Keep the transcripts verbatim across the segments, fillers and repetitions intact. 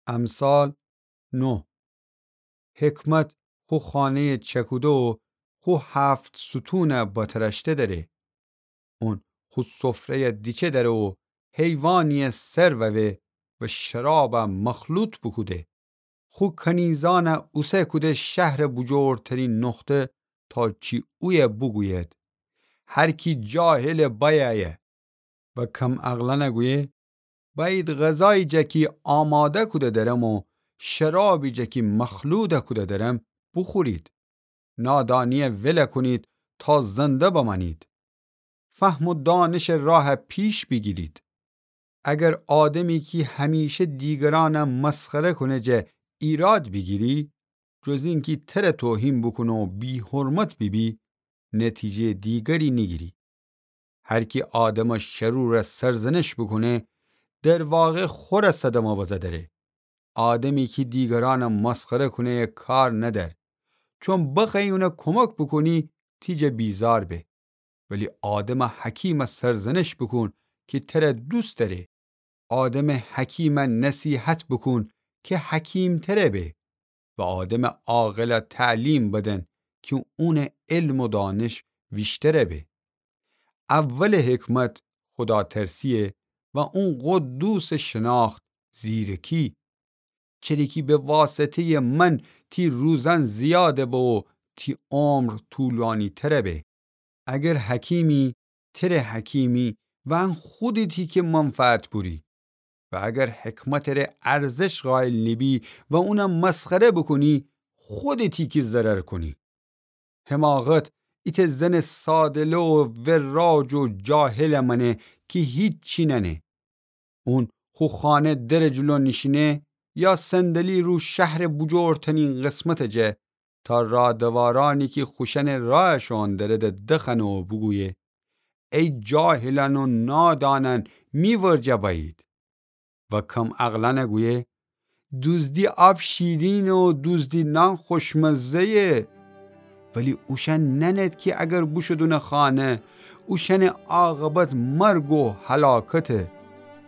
امثال نه. حکمت خو خانه‌یَ چکوده و خو هفت ستونَ بتراشته دأره. اون خو سفره‌یَ دیچه دأره و حیوانی‌یَ سر ووه و شرابَ مخلوط بوکوده. خو کنیزأنَ اوسه کوده شهرٚ بوجورترین نقطه تا چی اویه بوگوید: هر کی جاهلٚ بأیه و کم‌عقلأنَ گویه: بأیید غذایی جا کی آماده کوده درم و شرابی جا کی مخلوط کوده درم بوخورید. نادانی‌یَ ول کونید تا زنده بمأنید. فهم و دانشٚ راهَ پیش بیگیرید. اگر آدمی کی همیشه دیگرأنَ مسخره کونه جا ایراد بیگیری، جز اینکی تره توهین بوکونه و بی‌حرمت بیبی، نتیجه‌یٚ دیگری نیگیری. هر کی آدمٚ شرورَ سرزنش بوکونه، در واقع خوره صدمه بزه دره. آدمی کی دیگرأنَ مسخره کونه‌یَ کار ندأر، چون بخوأیی اونَ کمک بوکونی، تی جا بیزار به. ولی آدمٚ حکیمَ سرزنش بوکون کی تره دوست دأره. آدمٚ حکیمَ نصیحت بوکون کی حکیم‌تره به. و آدمٚ عاقلَ تعلیم بدن کی اونٚ علم و دانش ویشتره به. اولٚ حکمت خوداترسی‌یه و اون قدوسٚ شناخت زیرکی. چری کی به واسطه‌یٚ من تی روزأن زیاده به و تی عمر طولانی‌تره به. اگر حکیمی، تره حکیمی و ان خودتی کی منفعت بوری. و اگر حکمتٚ ره ارزش قائل نیبی و اونَ مسخره بوکونی، خودتی کی ضرر کونی. حماقت ایتأ زنٚ ساده‌لو و وراج و جاهلَ مأنه کی هیچی نأنه. اون خو خانه درٚ جلو نیشینه یا صندلی رو شهرٚ بوجورترین قسمتٚ جا تا رادوارأنی کی خوشأنٚ راه شوئون دره ده دخوأنه و بوگویه: ای جاهلأن و نادانأن، می ورجه بأیید. و کم‌عقلأنَ گویه: دوزدی آب شیرینه و دوزدی نان خوشمزه‌یه. ولی اوشأن نأنید کی اگر بوشود اونٚ خانه، اوشأنٚ عاقبت مرگ و هلاکته.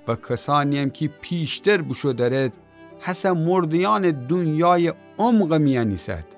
و کسأنی‌یم کی پیشتر بوشو درید، هسه مرده‌یأنٚ دونیایٚ عمقٚ میأن ایسد.